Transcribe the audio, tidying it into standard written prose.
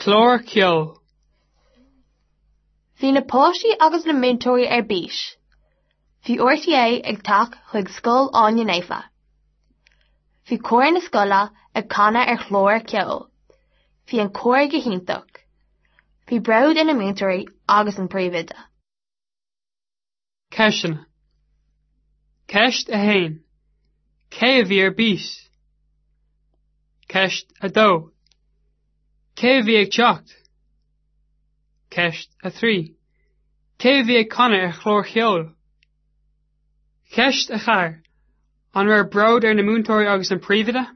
Clár ceoil. Bhí na páistí agus na múinteoirí ar bís. Bhí RTÉ ag teacht chuig Scoil Áine Naofa. Bhí cór na scoile ag canadh ar chlár ceoil. Bhí an cór go hiontach. Bhí bród ar na múinteoirí agus an príomhoide. Ceisteanna. Ceist 1. Cé a bhí ar bís? Ceist 2. Cé a bhí ag teacht? Ceist 3. Cé a bhí ag canadh ar chlár cheoil? Ceist 4. An raibh bród ar na múinteoirí agus an príomhoide?